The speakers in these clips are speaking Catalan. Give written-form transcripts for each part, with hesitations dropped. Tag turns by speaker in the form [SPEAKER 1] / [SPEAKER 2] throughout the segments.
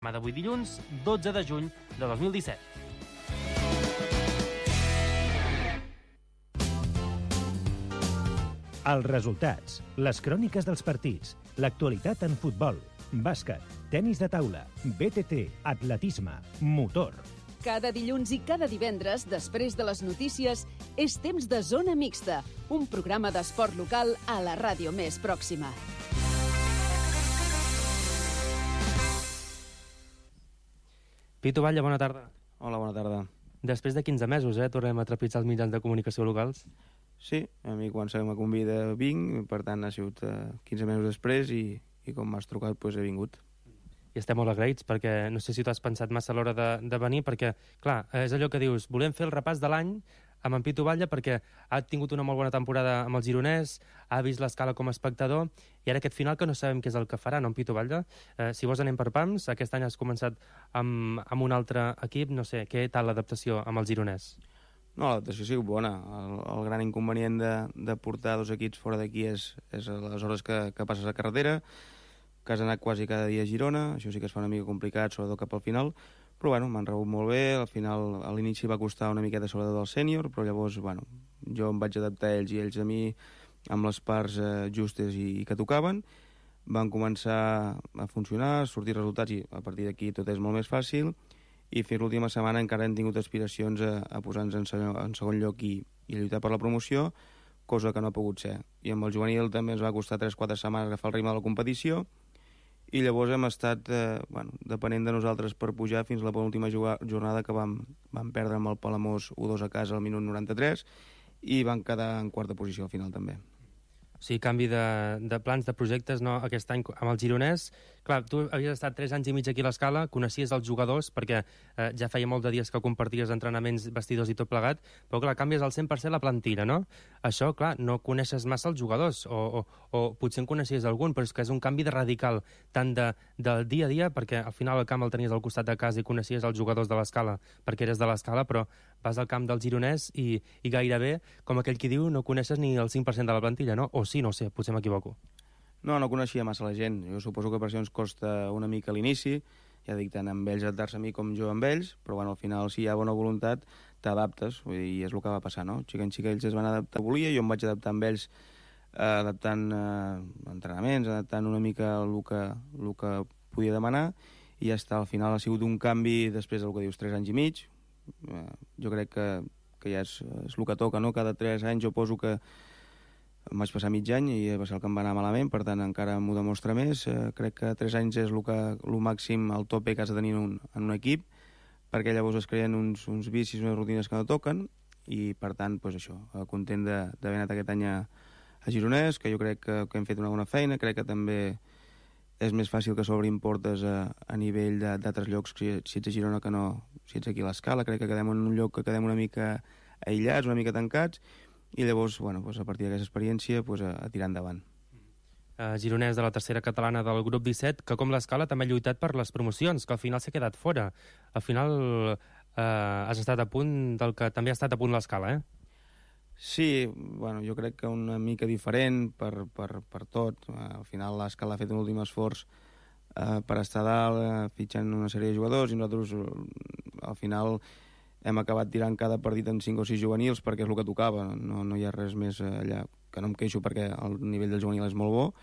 [SPEAKER 1] D'avui dilluns, 12 de juny de 2017.
[SPEAKER 2] Els resultats, les cròniques dels partits, l'actualitat en futbol, bàsquet, tenis de taula, BTT, atletisme, motor.
[SPEAKER 3] Cada dilluns i cada divendres, després de les notícies, és temps de Zona Mixta, un programa d'esport local a la ràdio més pròxima.
[SPEAKER 1] Pitu Batlle, bona tarda.
[SPEAKER 4] Hola, bona tarda.
[SPEAKER 1] Després de 15 mesos, tornem a trepitjar els mitjans de comunicació locals.
[SPEAKER 4] Sí, a mi quan se me convida vinc, per tant ha sigut 15 mesos després i com m'has trucat doncs he vingut.
[SPEAKER 1] I estem molt agraïts perquè no sé si tu has pensat massa a l'hora de venir perquè, clar, és allò que dius, volem fer el repàs de l'any amb en Pitu Batlle perquè ha tingut una molt bona temporada amb el Gironès, ha vist l'escala com a espectador i ara aquest final que no sabem què és el que farà, no, en Pitu Batlle? Si vols anem per pams, aquest any has començat amb un altre equip, no sé, què tal l'adaptació amb el Gironès?
[SPEAKER 4] No, l'adaptació ha sigut bona. El gran inconvenient de portar dos equips fora d'aquí és les hores que passes a carretera, que has anat quasi cada dia a Girona, això sí que es fa una mica complicat, sobretot cap al final, però bueno, m'han rebut molt bé, al final a l'inici va costar una miqueta sobretot del sènior, però llavors, bueno, jo em vaig adaptar a ells i ells a mi amb les parts justes i que tocaven, van començar a funcionar, a sortir resultats i a partir d'aquí tot és molt més fàcil i fins l'última setmana encara hem tingut aspiracions a posar-nos en segon lloc i a lluitar per la promoció, cosa que no ha pogut ser. I amb el juvenil també ens va costar 3-4 setmanes agafar el ritme de la competició i llavors hem estat depenent de nosaltres per pujar fins a la penúltima jornada que vam perdre amb el Palamós 1-2 a casa al minut 93 i van quedar en quarta posició al final també.
[SPEAKER 1] O sigui, canvi de plans, de projectes, no, aquest any amb el Gironès. Clar, tu havies estat 3 anys i mig aquí a l'Escala, coneixies els jugadors, perquè ja feia molt de dies que comparties entrenaments, vestidors i tot plegat, però clar, canvies al 100% la plantilla, no? Això, clar, no coneixes massa els jugadors, o potser en coneixies algun, però és que és un canvi de radical, tant del dia a dia, perquè al final el camp el tenies al costat de casa i coneixies els jugadors de l'Escala, perquè eres de l'Escala, però vas al camp del Gironès i gairebé, com aquell qui diu, no coneixes ni el 5% de la plantilla, no? O sí, no sé, potser m'equivoco.
[SPEAKER 4] No coneixia massa la gent. Jo suposo que per això ens costa una mica a l'inici, ja dic, tant amb ells adaptar-se a mi com jo amb ells, però bueno, al final si hi ha bona voluntat t'adaptes, i és el que va passar, no? Xica en xica ells es van adaptar, volia, jo em vaig adaptar amb ells adaptant entrenaments, adaptant una mica el que podia demanar, i ja està, al final ha sigut un canvi després del que dius, 3 anys i mig. Jo crec que ja és el que toca, no? Cada 3 anys jo poso que em vaig passar mig any i va ser el que em va anar malament, per tant encara m'ho demostra més. Crec que 3 anys és el màxim, el tope que has de tenir en un equip, perquè llavors es creen uns vicis, unes rutines que no toquen, i per tant, doncs això, content d'haver anat aquest any a Gironès, que jo crec que hem fet una bona feina, crec que també és més fàcil que s'obrin portes a nivell d'altres llocs si ets a Girona que no si ets aquí a l'Escala. Crec que quedem en un lloc que quedem una mica aïllats, una mica tancats, i llavors, bueno, a partir d'aquesta experiència a tirar endavant.
[SPEAKER 1] Gironès de la tercera catalana del grup 17, que com l'Escala també ha lluitat per les promocions, que al final s'ha quedat fora. Al final has estat a punt del que també ha estat a punt l'Escala,
[SPEAKER 4] Sí, bueno, jo crec que una mica diferent per tot. Al final l'Escala ha fet un últim esforç per estar dalt, fitxant una sèrie de jugadors, i nosaltres al final hem acabat tirant cada partit en 5 o 6 juvenils perquè és el que tocava. No hi ha res més allà, que no em queixo perquè el nivell del juvenil és molt bo,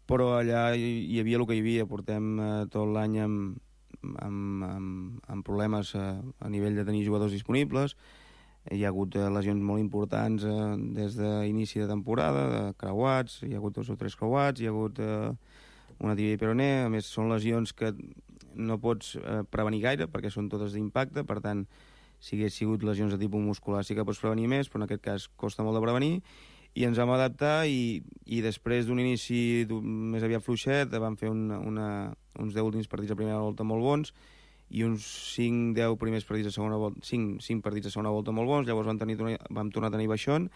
[SPEAKER 4] però allà hi havia el que hi havia. Portem tot l'any amb problemes a nivell de tenir jugadors disponibles. Hi ha hagut lesions molt importants des d'inici de temporada, creuats, hi ha hagut 2 o 3 creuats, hi ha hagut una tibia i peroné. A més, són lesions que no pots prevenir gaire perquè són totes d'impacte, per tant, si hagués sigut lesions de tipus muscular sí que pots prevenir més, però en aquest cas costa molt de prevenir, i ens vam adaptar i després d'un inici més aviat fluixet vam fer uns 10 últims partits a primera volta molt bons i uns 5-10 primers partits a segona volta, 5 partits a segona volta molt bons. Llavors vam tornar a tenir baixón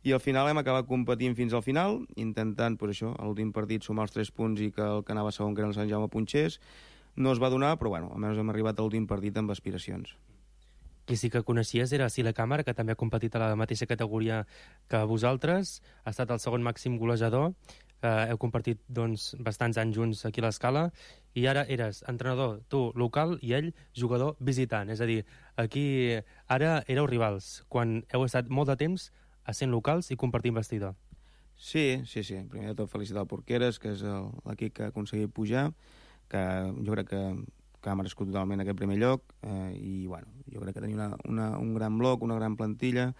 [SPEAKER 4] i al final hem acabat competint fins al final, intentant, això, a l'últim partit sumar els 3 punts i que el que anava segon, que era el Sant Jaume, punxés. No es va donar, però bueno, almenys hem arribat a l'últim partit amb aspiracions.
[SPEAKER 1] Qui sí que coneixies era Sila Càmera, que també ha competit a la mateixa categoria que vosaltres, ha estat el segon màxim golejador. heu compartit doncs, bastants anys junts aquí a l'Escala, i ara eres entrenador, tu local, i ell jugador visitant. És a dir, aquí ara éreu rivals, quan heu estat molt de temps essent locals i compartint vestidor.
[SPEAKER 4] Sí. Primer de tot felicitar el Porqueres, que és l'equip que ha aconseguit pujar, que jo crec que ha merescut totalment aquest primer lloc, i bueno, jo crec que tenia un gran bloc, una gran plantilla,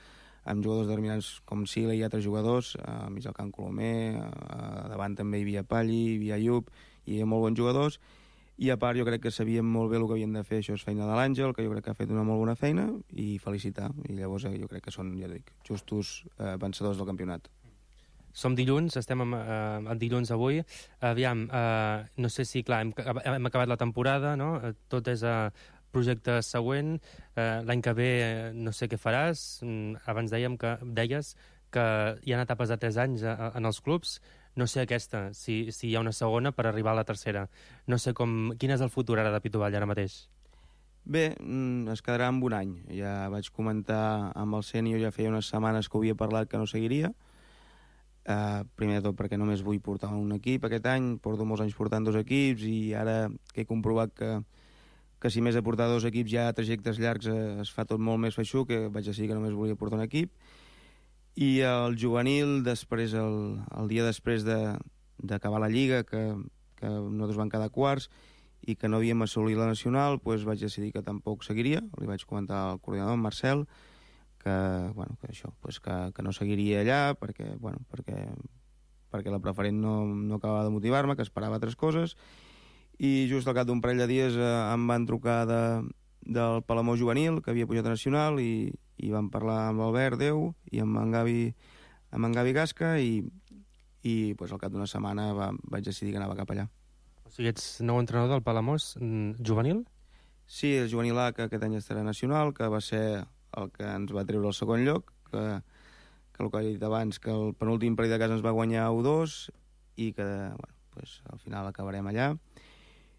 [SPEAKER 4] amb jugadors determinants com Sila i altres jugadors, a mig del camp Colomer, davant també hi havia Palli, hi havia Ayub, hi havia molt bons jugadors, i a part jo crec que sabíem molt bé el que havien de fer. Això és feina de l'Àngel, que jo crec que ha fet una molt bona feina, i felicitar, i llavors jo crec que són, ja dic, justos vencedors del campionat.
[SPEAKER 1] Som dilluns, estem el dilluns avui. Aviam, no sé si, clar, hem acabat la temporada, no? Tot és projecte següent. L'any que ve no sé què faràs. Abans deies que hi ha etapes de 3 anys en els clubs. No sé aquesta, si hi ha una segona per arribar a la tercera. No sé quin és el futur ara de Pituvall ara mateix.
[SPEAKER 4] Bé, es quedarà amb un any. Ja vaig comentar amb el sènior, ja feia unes setmanes que ho havia parlat que no seguiria. Primer de tot perquè només vull portar un equip aquest any, porto molts anys portant 2 equips, i ara que he comprovat que si més de portar 2 equips ja a trajectes llargs es fa tot molt més feixuc, que vaig decidir que només volia portar un equip. I el juvenil, després el dia després d'acabar la Lliga, que nosaltres vam quedar quarts i que no havíem assolit la nacional, doncs vaig decidir que tampoc seguiria. Li vaig comentar al coordinador, en Marcel, que no seguiria allà perquè la preferent no acabava de motivar-me, que esperava altres coses, i just al cap d'un parell de dies em van trucar del Palamós juvenil, que havia pujat a nacional, i vam parlar amb l'Albert Déu i amb en Gavi Gasca, i pues, al cap d'una setmana vaig decidir que anava cap allà.
[SPEAKER 1] O sigui, ets nou entrenador del Palamós juvenil?
[SPEAKER 4] Sí, el juvenil A, que aquest any estarà nacional, que va ser el que ens va treure el segon lloc, que el que he dit abans, que el penúltim partit de casa ens va guanyar 1-2, i que al final acabarem allà.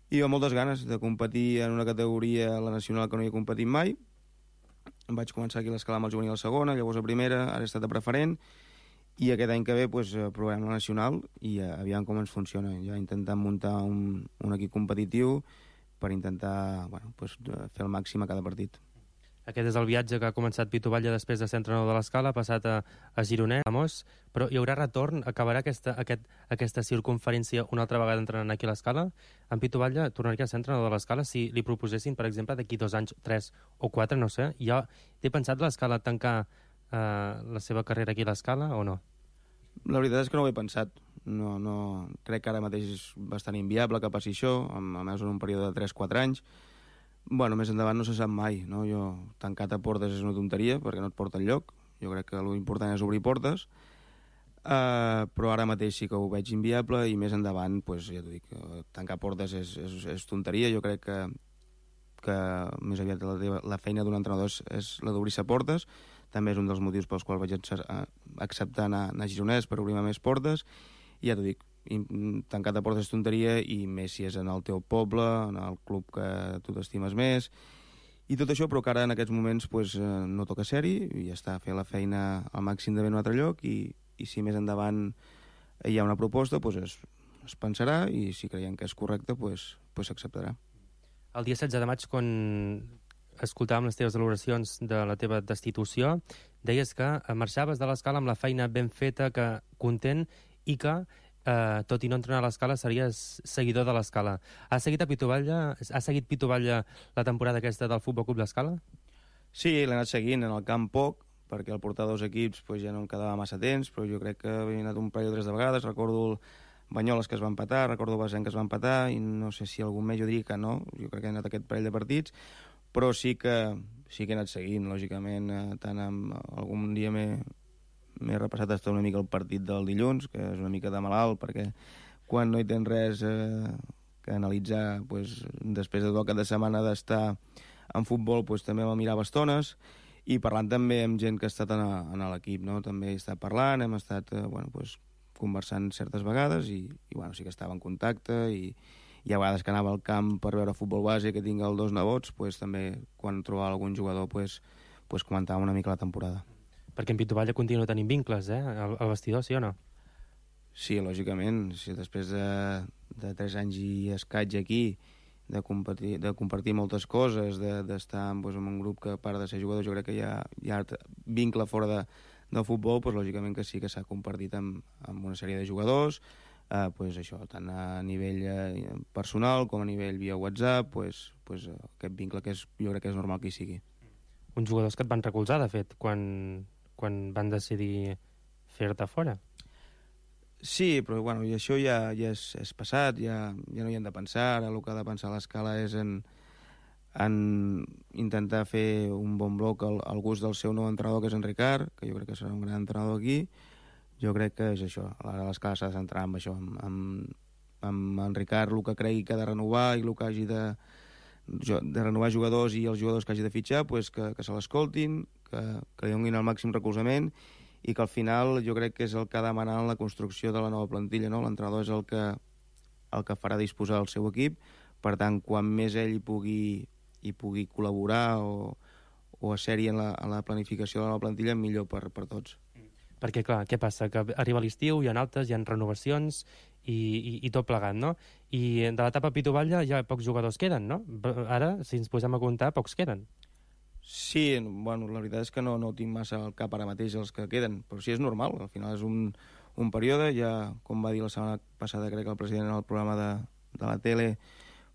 [SPEAKER 4] I amb moltes ganes de competir en una categoria, la nacional, que no hi he competit mai. Em vaig començar aquí a l'Escala amb el juvenil a segona, llavors a primera, ara he estat a preferent, i aquest any que ve provarem la nacional i aviam com ens funciona. Ja intentant muntar un equip competitiu per intentar fer el màxim a cada partit.
[SPEAKER 1] Aquest és el viatge que ha començat Pituvalla després de ser entrenador de l'Escala, ha passat a Gironès, però hi haurà retorn? Acabarà aquesta circunferència una altra vegada entrenant aquí a l'Escala? En Pituvalla tornaria a ser entrenador de l'Escala si li proposessin, per exemple, d'aquí 2 anys, 3 o 4, no sé. Ja té pensat l'Escala tancar la seva carrera aquí a l'Escala o no?
[SPEAKER 4] La veritat és que no ho he pensat. No, crec que ara mateix és bastant inviable que passi això, a més en un període de 3-4 anys. Més endavant no se sap mai, no? Tancat a portes és una tonteria, perquè no et porta enlloc. Jo crec que l'important és obrir portes, però ara mateix sí que ho veig inviable, i més endavant, ja t'ho dic, tancar portes és tonteria. Jo crec que més aviat la feina d'un entrenador és la d'obrir-se portes. També és un dels motius pels quals vaig acceptar anar a Gironès, per obrir-me més portes, i ja t'ho dic, tancar de portes és tonteria, i més si és en el teu poble, en el club que tu t'estimes més, i tot això, però que ara en aquests moments no toca ser-hi, i ja està, fer la feina al màxim de bé en un altre lloc, i si més endavant hi ha una proposta, es pensarà, i si creiem que és correcte, s'acceptarà.
[SPEAKER 1] El dia 16 de maig, quan escoltàvem les teves valoracions de la teva destitució, deies que marxaves de l'Escala amb la feina ben feta, que content, i que tot i no entrenar a l'Escala, series seguidor de l'Escala. Ha seguit Pituvalla la temporada aquesta del Futbol Club l'Escala?
[SPEAKER 4] Sí, l'he anat seguint en el camp poc, perquè al portar 2 equips ja no em quedava massa temps, però jo crec que he anat un parell o 3 de vegades. Recordo el Banyoles, que es va empatar, recordo el Basent, que es va empatar, i no sé si algun més, jo diria que no, jo crec que he anat aquest parell de partits, però sí que he anat seguint, lògicament, tant amb algun dia m'he repassat hasta una mica el partit del dilluns, que és una mica de malalt, perquè quan no hi tens res que analitzar, després de tot el cap de setmana d'estar en futbol, també me'l mirava estones, i parlant també amb gent que ha estat en l'equip, no? També he estat parlant, hem estat conversant certes vegades, i sí que estava en contacte, i hi ha vegades que anava al camp per veure futbol base, que tinc els 2 nebots, també quan trobava algun jugador comentàvem una mica la temporada.
[SPEAKER 1] Perquè en Pituvalla continua tenint vincles, al vestidor, sí o no?
[SPEAKER 4] Sí, lògicament. Si després de 3 anys i escaig aquí, de compartir moltes coses, d'estar doncs, en un grup que, a part de ser jugador, jo crec que hi ha vincle fora del futbol, doncs, lògicament que sí que s'ha compartit amb una sèrie de jugadors, pues això, tant a nivell personal com a nivell via WhatsApp, pues aquest vincle que jo crec que és normal que hi sigui.
[SPEAKER 1] Uns jugadors que et van recolzar, de fet, quan van decidir fer-te fora.
[SPEAKER 4] Sí, però bueno, i això ja és passat, ja no hi hem de pensar. Ara el que ha de pensar l'Escala és en intentar fer un bon bloc al gust del seu nou entrenador, que és en Ricard, que jo crec que serà un gran entrenador aquí. Jo crec que és això, ara l'Escala s'ha de centrar en això, amb en Ricard, el que cregui que ha de renovar i el que hagi de renovar jugadors i els jugadors que hagi de fitxar, pues que se l'escoltin, que li donin el màxim recolzament i que al final jo crec que és el que ha de demanar en la construcció de la nova plantilla, no? L'entrenador és el que farà disposar el seu equip, per tant, quan més ell hi pugui col·laborar o ser-hi en la planificació de la nova plantilla, millor per tots.
[SPEAKER 1] Perquè, clar, què passa? Que arriba l'estiu, hi ha altes, hi ha renovacions i tot plegat, no? I de l'etapa Pitu Batlle ja pocs jugadors queden, no? Ara, si ens posem a comptar, pocs queden.
[SPEAKER 4] Sí, bueno, la veritat és que no tinc massa al cap ara mateix els que queden, però sí, és normal, al final és un període, ja, com va dir la setmana passada, crec que el president en el programa de la tele,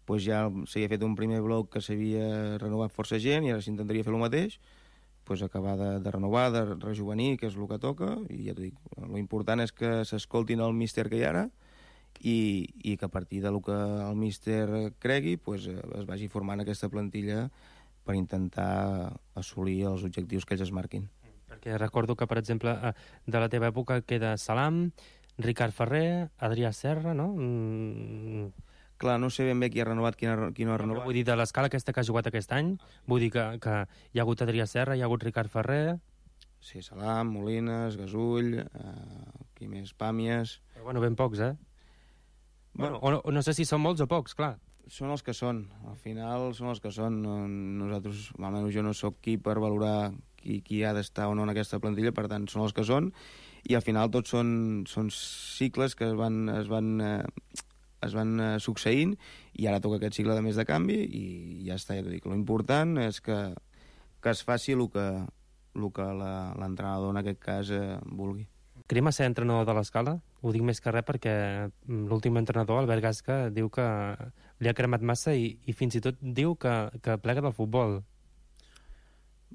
[SPEAKER 4] pues ja s'havia fet un primer bloc que s'havia renovat força gent i ara s'intentaria fer el mateix, pues acabar de renovar, de rejuvenir, que és el que toca, i ja t'ho dic, l'important és que s'escoltin el míster que hi ha ara i que a partir del que el míster cregui pues, es vagi formant aquesta plantilla per intentar assolir els objectius que ells es marquin.
[SPEAKER 1] Perquè recordo que, per exemple, de la teva època queda Salam, Ricard Ferrer, Adrià Serra, no?
[SPEAKER 4] Clar, no sé ben bé qui ha renovat, qui no ha renovat.
[SPEAKER 1] Vull dir, de l'escala aquesta que ha jugat aquest any, vull dir que hi ha hagut Adrià Serra, hi ha hagut Ricard Ferrer...
[SPEAKER 4] Sí, Salam, Molines, Gasull, qui més, Pàmies...
[SPEAKER 1] Però, bueno, ben pocs, eh? Bueno, o no sé si són molts o pocs, clar.
[SPEAKER 4] Són els que són, al final són els que són. Nosaltres, almenys jo no sóc qui per valorar qui ha d'estar o no en aquesta plantilla, per tant són els que són, i al final tots són cicles que es van succeint, i ara toca aquest cicle de més de canvi, i ja està, ja t'ho dic. L'important és que es faci el que l'entrenador en aquest cas vulgui.
[SPEAKER 1] Crema ser entrenador de l'Escala? Ho dic més que res perquè l'últim entrenador, Albert Gasca, diu que li ha cremat massa i fins i tot diu que plega del futbol.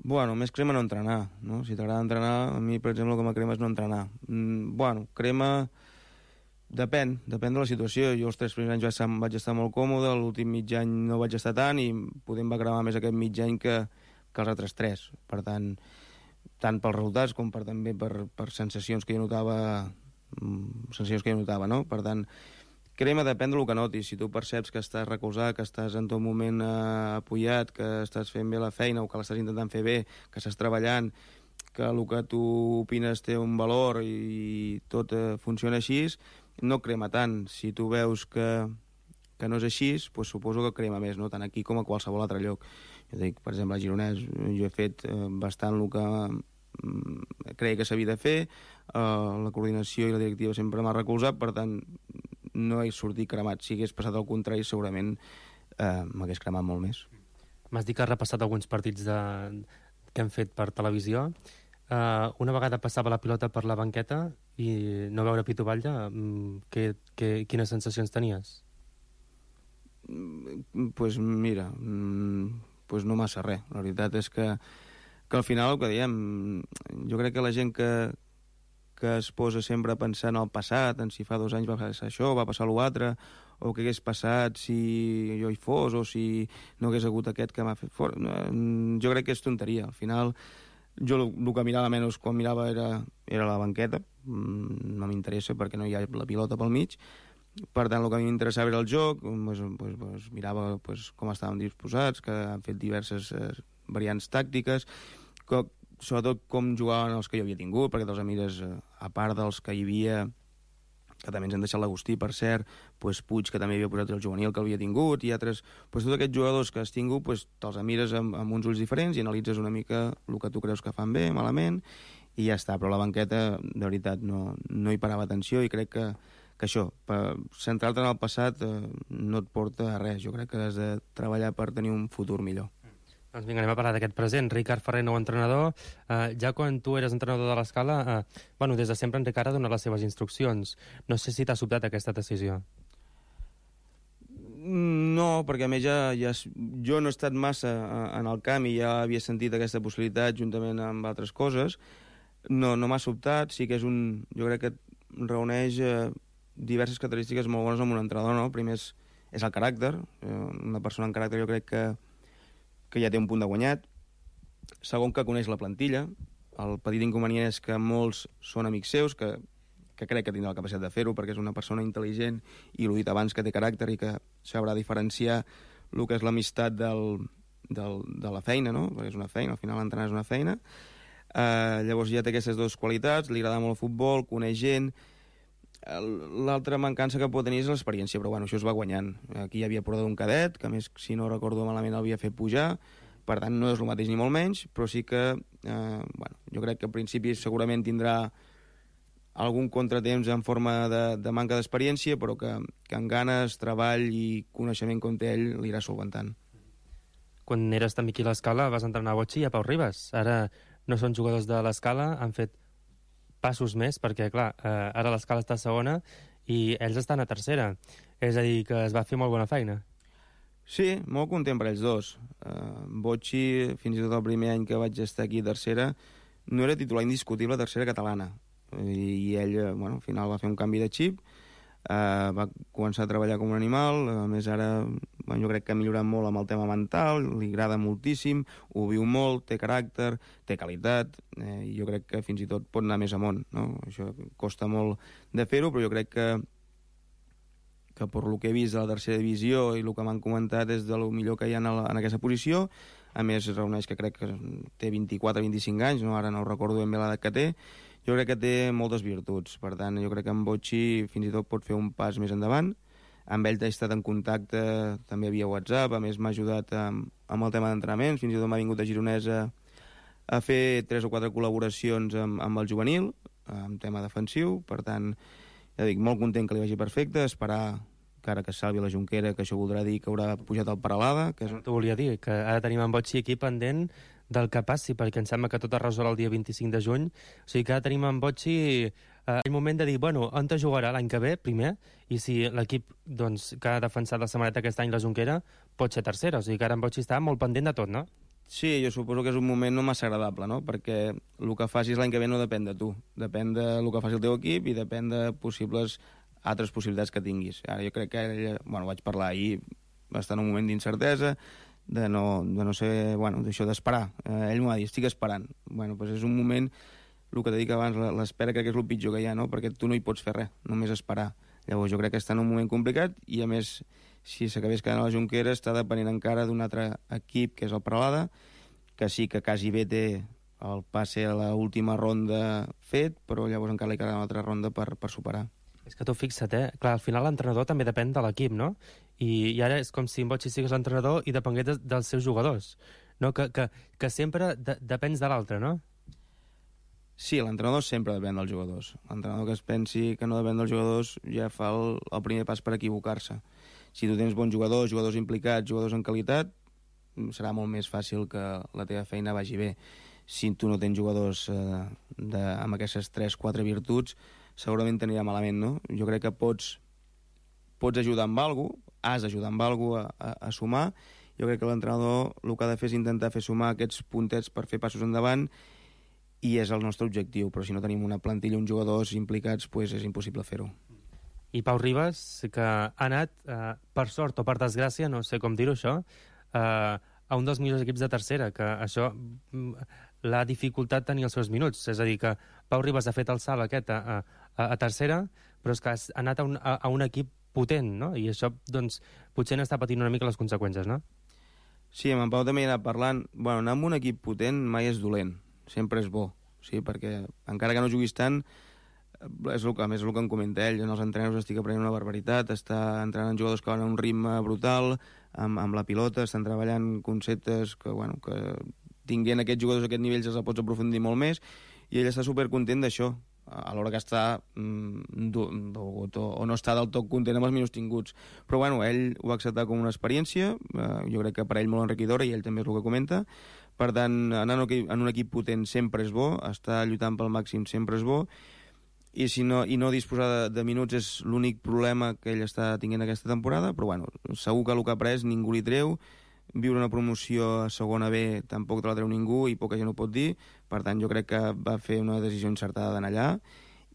[SPEAKER 4] Bueno, més crema no entrenar, no? Si t'agrada entrenar, a mi, per exemple, el que m'acrema és no entrenar. Bueno, crema... Depèn de la situació. Jo els 3 primers anys vaig estar molt còmode, l'últim mig any no vaig estar tant, i podem va cremar més aquest mig any que els altres 3. Per tant pels resultats com també per sensacions que jo notava, no? Per tant, crema depèn del que notis. Si tu perceps que estàs recolzat, que estàs en tot moment apoyat, que estàs fent bé la feina o que l'estàs intentant fer bé, que estàs treballant, que el que tu opines té un valor i tot funciona així, no crema tant. Si tu veus que no és així, doncs suposo que crema més, no? Tant aquí com a qualsevol altre lloc. Jo dic, per exemple, a Gironès jo he fet bastant el que creia que s'havia de fer, la coordinació i la directiva sempre m'ha recolzat, per tant no he sortit cremat. Si hagués passat al contrari, segurament m'hagués cremat molt més.
[SPEAKER 1] M'has dit que has repassat alguns partits que hem fet per televisió. Una vegada passava la pilota per la banqueta i no veure Pitu Batlle, quines sensacions tenies?
[SPEAKER 4] Pues mira, pues no massa res. La veritat és que al final el que diem, jo crec que la gent que es posa sempre a pensar en el passat, en si fa 2 anys va passar això, va passar l'altre, o què hagués passat si jo hi fos, o si no hagués hagut aquest que m'ha fet fora. Jo crec que és tonteria. Al final, jo el que mirava menys quan mirava era la banqueta. No m'interessa perquè no hi ha la pilota pel mig. Per tant, el que a mi m'interessava era el joc, mirava com estaven disposats, que han fet diverses variants tàctiques, sobretot com jugaven els que jo havia tingut, perquè te'ls mires, a part dels que hi havia, que també ens han deixat l'Agustí, per cert, Puig, que també havia posat el juvenil que havia tingut, i altres... Tots aquests jugadors que has tingut, te'ls mires amb uns ulls diferents i analitzes una mica el que tu creus que fan bé, malament, i ja està, però la banqueta, de veritat, no hi parava atenció, i crec que això, per centrar-te en el passat no et porta a res. Jo crec que has de treballar per tenir un futur millor.
[SPEAKER 1] Doncs vinga, anem a parlar d'aquest present. Ricard Ferrer, nou entrenador. Ja quan tu eres entrenador de l'Escala, des de sempre en Ricard ha donat les seves instruccions. No sé si t'ha sobtat aquesta decisió.
[SPEAKER 4] No, perquè a més jo no he estat massa en el camp i ja havia sentit aquesta possibilitat juntament amb altres coses. No m'ha sobtat, sí que és jo crec que reuneix diverses característiques molt bones amb un entrenador, no? Primer és el caràcter, una persona amb caràcter jo crec que ja té un punt de guanyat. Segon, que coneix la plantilla. El petit inconvenient és que molts són amics seus, que crec que tindrà la capacitat de fer-ho, perquè és una persona intel·ligent i, l'ho dit abans, que té caràcter i que sabrà diferenciar el que és l'amistat de la feina, no? Perquè és una feina, al final entrenar és una feina. Llavors ja té aquestes dues qualitats, li agrada molt el futbol, coneix gent. L'altra mancança que pot tenir és l'experiència, però bueno, això es va guanyant. Aquí hi havia portat un cadet, que a més, si no recordo malament, l'havia fet pujar, per tant no és el mateix ni molt menys, però sí que jo crec que al principi segurament tindrà algun contratemps en forma de manca d'experiència, però que amb ganes, treball i coneixement com té ell l'irà solventant.
[SPEAKER 1] Quan eres també aquí a l'Escala vas entrenar a Botxi i a Pau Ribas. Ara no són jugadors de l'Escala, han fet passos més, perquè, clar, ara l'Escala està a segona i ells estan a tercera. És a dir, que es va fer molt bona feina.
[SPEAKER 4] Sí, molt content per ells dos. Botxi, fins i tot el primer any que vaig estar aquí a tercera, no era titular indiscutible a tercera catalana. I ell, al final va fer un canvi de xip, va començar a treballar com un animal, a més ara jo crec que ha millorat molt amb el tema mental, li agrada moltíssim, ho viu molt, té caràcter, té qualitat, i jo crec que fins i tot pot anar més amunt, no? Això costa molt de fer-ho, però jo crec que per lo que he vist de la tercera divisió i el que m'han comentat és de lo millor que hi ha en aquesta posició. A més, reuneix que crec que té 24-25 anys, no? Ara no recordo ben bé l'edat que té. Jo crec que té moltes virtuts, per tant, jo crec que amb Botxi fins i tot pot fer un pas més endavant. Amb ell he estat en contacte també via WhatsApp, a més m'ha ajudat amb el tema d'entrenaments, fins i tot m'ha vingut a Gironès a fer 3 o 4 col·laboracions amb el juvenil, en tema defensiu, per tant, ja dic, molt content que li vagi perfecte, esperar que ara que salvi la Jonquera, que això voldrà dir que haurà pujat el Peralada.
[SPEAKER 1] T'ho volia dir, que ara tenim en Botxi aquí pendent del que passi, perquè em sembla que tot es resol el dia 25 de juny. O sigui que ara tenim en Botxi el moment de dir, on te jugarà l'any que ve, primer, i si l'equip que ha defensat la setmaneta aquest any, la Jonquera, pot ser tercera. O sigui que ara en Botxi està molt pendent de tot, no?
[SPEAKER 4] Sí, jo suposo que és un moment no massa agradable, no? Perquè el que facis l'any que ve no depèn de tu. Depèn del que faci el teu equip i depèn de altres possibilitats que tinguis. Ara jo crec que vaig parlar ahir, va estar en un moment d'incertesa, de no ser, d'això d'esperar. Ell m'ho va dir, estic esperant. Doncs és un moment, el que t'he dit abans, l'espera crec que és el pitjor que hi ha, no? Perquè tu no hi pots fer res, només esperar. Llavors jo crec que està en un moment complicat i, a més, si s'acabés quedant a la Jonquera, està depenent encara d'un altre equip, que és el Peralada, que sí que quasi bé té el passe a l'última ronda fet, però llavors encara li quedarà una altra ronda per superar.
[SPEAKER 1] És que tu fixa't, clar, al final l'entrenador també depèn de l'equip, no? I ara és com si en Botxi sigués l'entrenador i depengués dels seus jugadors, no? Que sempre depens de l'altre, no?
[SPEAKER 4] Sí, l'entrenador sempre depèn dels jugadors. L'entrenador que es pensi que no depèn dels jugadors ja fa el primer pas per equivocar-se. Si tu tens bons jugadors implicats, jugadors en qualitat, serà molt més fàcil que la teva feina vagi bé. Si tu no tens jugadors amb aquestes 3-4 virtuts, segurament t'anirà malament, no? Jo crec que pots ajudar amb alguna cosa, has d'ajudar amb alguna cosa a sumar. Jo crec que l'entrenador el que ha de fer és intentar fer sumar aquests puntets per fer passos endavant, i és el nostre objectiu, però si no tenim una plantilla, uns jugadors implicats, doncs és impossible fer-ho.
[SPEAKER 1] I Pau Ribas, que ha anat, per sort o per desgràcia, no sé com dir-ho això, a un dels millors equips de tercera, que això l'ha dificultat tenir els seus minuts. És a dir, que Pau Ribas ha fet el salt aquest a tercera, però és que ha anat a un equip potent, no? I això, doncs, potser n'està patint una mica les conseqüències, no?
[SPEAKER 4] Sí, amb en Pau també he anat parlant. Anar amb un equip potent mai és dolent, sempre és bo, sí, perquè encara que no juguis tant, és el que em comenta ell, en els entrenadors estic aprenent una barbaritat, està entrenant jugadors que van a un ritme brutal, amb la pilota, estan treballant conceptes que tinguent aquests jugadors a aquest nivell els pots aprofundir molt més, i ell està supercontent d'això, a l'hora que està dolgut o no està del tot content amb els minuts tinguts. Però bueno, ell ho va acceptar com una experiència, jo crec que per ell molt enriquidora, i ell també és el que comenta. Per tant, anar en un equip potent sempre és bo, estar lluitant pel màxim sempre és bo, i no disposar de minuts és l'únic problema que ell està tinguent aquesta temporada, però bueno, segur que el que ha après ningú li treu. Viure una promoció a segona B tampoc te la treu ningú i poca gent ho pot dir. Per tant, jo crec que va fer una decisió encertada d'anar allà,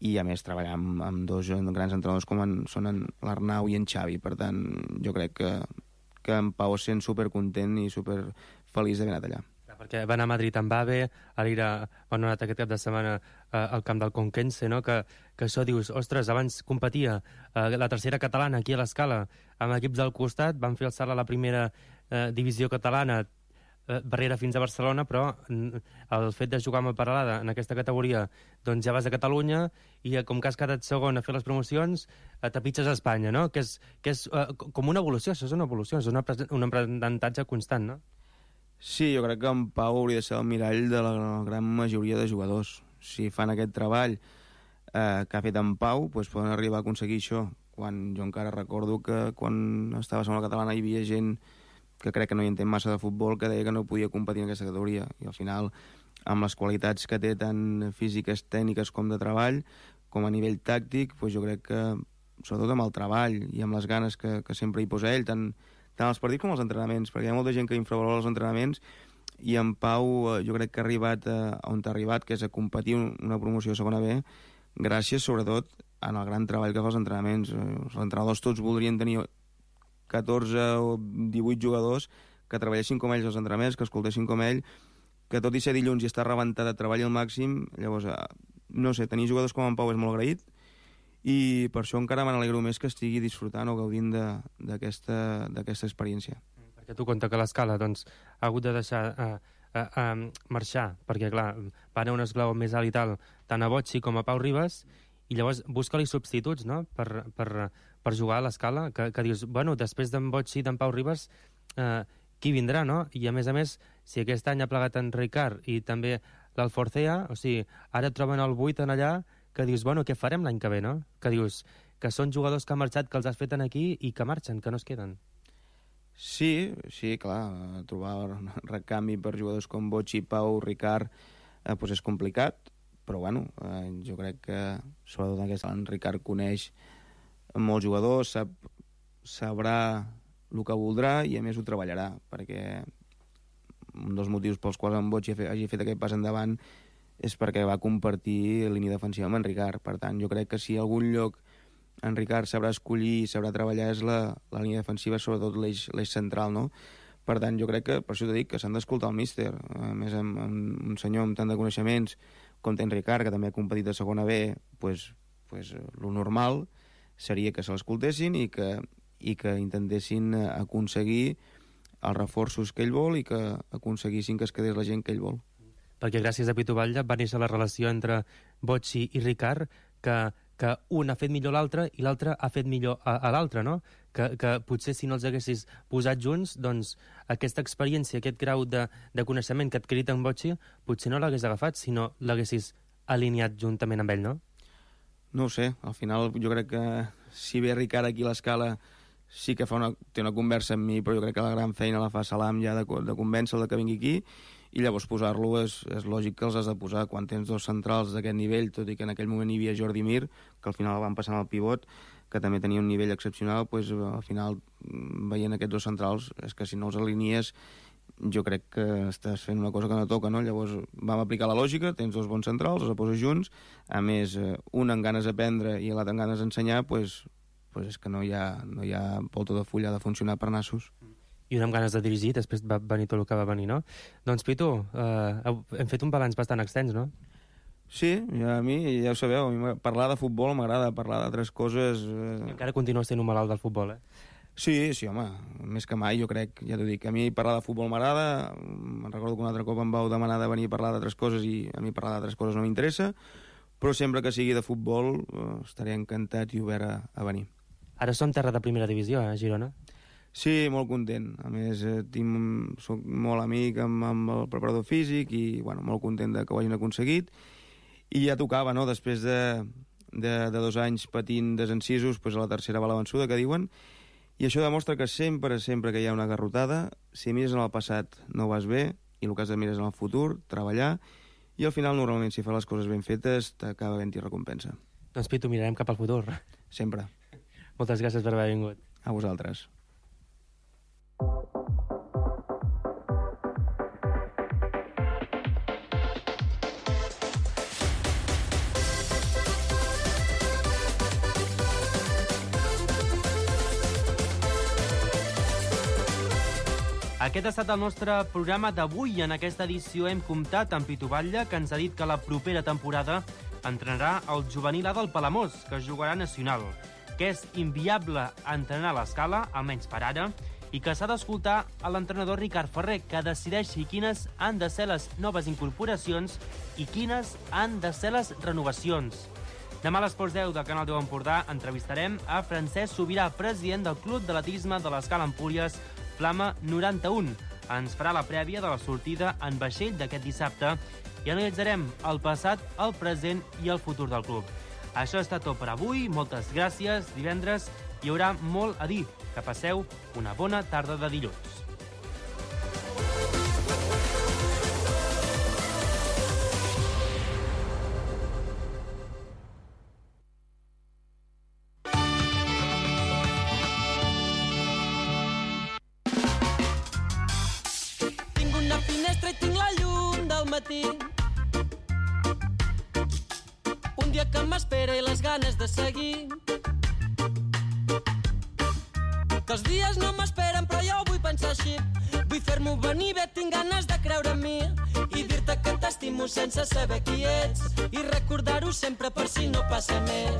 [SPEAKER 4] i a més treballar amb dos grans entrenadors com són l'Arnau i en Xavi. Per tant, jo crec que en Pau es sent supercontent i superfeliç d'haver anat allà.
[SPEAKER 1] Perquè va anar a Madrid amb AVE, ara van anar aquest cap de setmana al camp del Conquense, no? Que això dius, ostres, abans competia la tercera catalana aquí a l'Escala amb equips del costat, van fer el salt a la primera divisió catalana, barrera fins a Barcelona, però el fet de jugar amb el Peralada en aquesta categoria, doncs ja vas a Catalunya i com que has quedat segon a fer les promocions, t'apitxes a Espanya, no? Que és com una evolució, això és una evolució, és un aprenentatge constant, no?
[SPEAKER 4] Sí, jo crec que en Pau hauria de ser el mirall de la gran majoria de jugadors. Si fan aquest treball que ha fet en Pau, doncs poden arribar a aconseguir això. Jo encara recordo que quan estava a la catalana hi havia gent que crec que no hi entén massa de futbol, que deia que no podia competir en aquesta categoria. I al final, amb les qualitats que té tant físiques, tècniques com de treball, com a nivell tàctic, doncs jo crec que, sobretot amb el treball i amb les ganes que sempre hi posa ell, tant als partits com als entrenaments, perquè hi ha molta gent que infravalora els entrenaments, i en Pau jo crec que ha arribat on ha arribat, que és a competir una promoció a segona B, gràcies sobretot en el gran treball que fa els entrenaments. Els entrenadors tots voldrien tenir 14 o 18 jugadors que treballessin com ells als entrenaments, que escoltessin com ell, que tot i ser dilluns i estar rebentat de treball al màxim. Llavors, no sé, tenir jugadors com en Pau és molt agraït, i per això encara me n'alegro més que estigui disfrutant o gaudint d'aquesta experiència.
[SPEAKER 1] Perquè tu compta que l'Escala doncs, ha hagut de deixar marxar, perquè clar, va anar un esglaó més alt i tal, tant a Bocci com a Pau Ribas, i llavors busca-li substituts, no?, per jugar a l'Escala, que dius, bueno, després d'en Bocci i d'en Pau Ribas, qui vindrà, no? I a més, si aquest any ha plegat en Ricard i també l'Alforcea, o sigui, ara troben el 8 en allà, que dius, bueno, què farem l'any que ve, no? Que dius que són jugadors que han marxat, que els has fet aquí i que marxen, que no es queden.
[SPEAKER 4] Sí, clar, trobar recanvi per jugadors com Bocci, Pau, Ricard, doncs és complicat, però bueno, jo crec que sobretot en Ricard coneix molts jugadors, sabrà el que voldrà i a més ho treballarà, perquè un dels motius pels quals en Bocci hagi fet aquest pas endavant és perquè va compartir línia defensiva amb en Ricard. Per tant, jo crec que si algun lloc en Ricard sabrà escollir i sabrà treballar és la línia defensiva, sobretot l'eix central, no? Per tant, jo crec que, per això t'ho dic, que s'han d'escoltar el míster. A més, amb un senyor amb tant de coneixements com té en Ricard, que també ha competit a segona B, doncs lo normal seria que se l'escoltessin i que intentessin aconseguir els reforços que ell vol i que aconseguissin que es quedés la gent que ell vol.
[SPEAKER 1] Perquè gràcies a Pitu Batlle va néixer la relació entre Bocci i Ricard, que un ha fet millor l'altre i l'altre ha fet millor a l'altre, no? Que potser si no els haguessis posat junts, doncs aquesta experiència, aquest grau de coneixement que ha adquirit en Bocci, potser no l'hagués agafat, sinó l'haguessis alineat juntament amb ell, no?
[SPEAKER 4] No ho sé, al final jo crec que si ve Ricard aquí a l'Escala sí que té una conversa amb mi, però jo crec que la gran feina la fa Salam ja de convèncer-lo que vingui aquí, i llavors posar-lo és lògic que els has de posar quan tens dos centrals d'aquest nivell, tot i que en aquell moment hi havia Jordi Mir, que al final el van passar al pivot, que també tenia un nivell excepcional, doncs al final veient aquests dos centrals és que si no els alinies jo crec que estàs fent una cosa que no toca, no? Llavors vam aplicar la lògica, tens dos bons centrals, els poses junts, a més un amb ganes d'aprendre i l'altre amb ganes d'ensenyar, doncs és que no hi ha volta de fulla de funcionar per nassos.
[SPEAKER 1] I un amb ganes de dirigir, després va venir tot el que va venir, no? Doncs, Pitu, hem fet un balanç bastant extens, no?
[SPEAKER 4] Sí, a mi, ja ho sabeu, a mi parlar de futbol m'agrada, parlar d'altres coses...
[SPEAKER 1] Encara continues sent un malalt del futbol, eh?
[SPEAKER 4] Sí, home, més que mai, jo crec, ja t'ho dic. A mi parlar de futbol m'agrada, me'n recordo que un altre cop em vau demanar de venir a parlar d'altres coses i a mi parlar d'altres coses no m'interessa, però sempre que sigui de futbol estaré encantat i obert a venir.
[SPEAKER 1] Ara som terra de primera divisió, a Girona?
[SPEAKER 4] Sí, molt content. A més, soc molt amic amb el preparador físic i bueno, molt content que ho hagin aconseguit. I ja tocava, no?, després de 2 anys patint desencisos, doncs a la tercera va la vençuda, que diuen, i això demostra que sempre que hi ha una garrotada, si mires en el passat no vas bé, i el que has de mirar és en el futur, treballar, i al final, normalment, si fas les coses ben fetes, t'acaba havent-hi recompensa.
[SPEAKER 1] Doncs, Pitu, mirarem cap al futur.
[SPEAKER 4] Sempre.
[SPEAKER 1] Moltes gràcies per haver vingut.
[SPEAKER 4] A vosaltres.
[SPEAKER 1] Aquest ha estat el nostre programa d'avui. En aquesta edició hem comptat amb Pitu Batlle, que ens ha dit que la propera temporada entrenarà el juvenil A del Palamós, que jugarà nacional, que és inviable entrenar a l'escala, almenys per ara, i que s'ha d'escoltar a l'entrenador Ricard Ferrer, que decideixi quines han de ser les noves incorporacions i quines han de ser les renovacions. Demà a l'Esports 10 del Canal 10 Empordà entrevistarem a Francesc Sobirà, president del Club d'Atletisme de l'Escala Empúries, Flama 91. Ens farà la prèvia de la sortida en vaixell d'aquest dissabte i analitzarem el passat, el present i el futur del club. Això està tot per avui. Moltes gràcies. Divendres hi haurà molt a dir. Que passeu una bona tarda de dilluns.
[SPEAKER 5] Un dia que m'espera i les ganes de seguir, que els dies no m'esperen però jo vull pensar així. Vull fer-m'ho venir bé, tinc ganes de creure en mi i dir-te que t'estimo sense saber qui ets i recordar-ho sempre per si no passa més.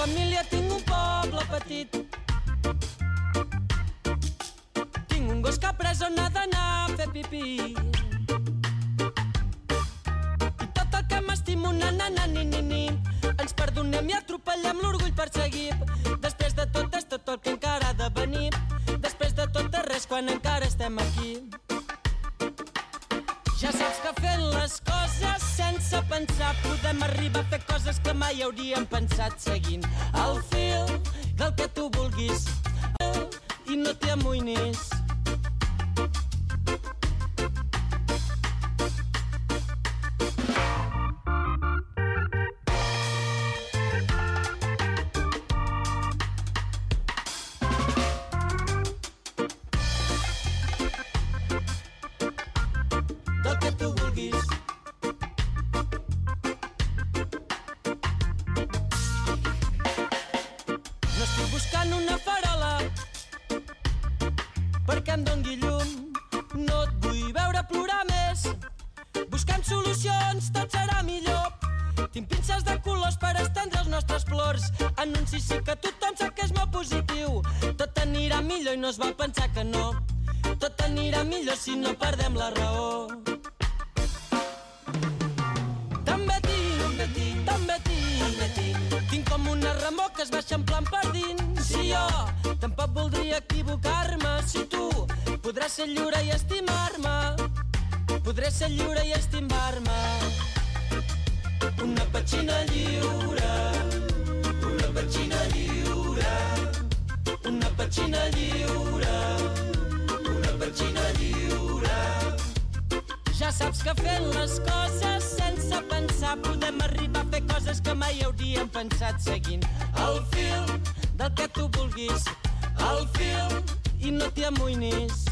[SPEAKER 5] Família, tinc un poble petit. Tinc un gos que ha après on ha d'anar a fer pipí. I tot el que m'estimo, na-na-na-ni-ni-ni. Ens perdonem i atropellem l'orgull perseguit. Després de tot és tot el que encara ha de venir. Després de tot és res quan encara estem aquí. Ja saps que fent les coses sense pensar podem arribar a fer coses que mai hauríem pensat, seguint el fil del que tu vulguis i no t'hi amoïnis. Perquè em dongui llum, no et vull veure plorar més. Buscant solucions, tot serà millor. Tinc pinces de colors per estendre els nostres plors. Anunci sí que tothom sap que és molt positiu. Tot anirà millor i no es val pensar que no. Tot anirà millor si no perdem la raó. També tinc, tinc com una remor que es va eixamplant per dins. Si jo tampoc voldria equivocar-me, si tu podràs ser lliure i estimar-me, podré ser lliure i estimar-me. Una petxina lliure, una petxina lliure, una petxina lliure, una petxina lliure. Ja saps que fent les coses sense pensar podem arribar a fer coses que mai hauríem pensat, seguint el fil del que tu vulguis, el fil i no t'hi amoïnis.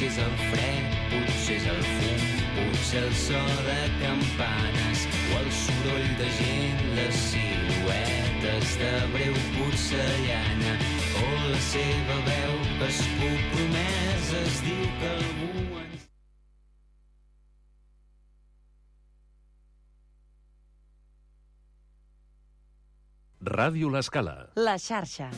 [SPEAKER 6] Potser és el fred, potser és el fum, potser el so de campanes o el soroll de gent, les siluetes de breu porcellana o o la seva veu que es compromès es diu que algú ens...
[SPEAKER 7] Ràdio L'Escala.
[SPEAKER 8] La xarxa.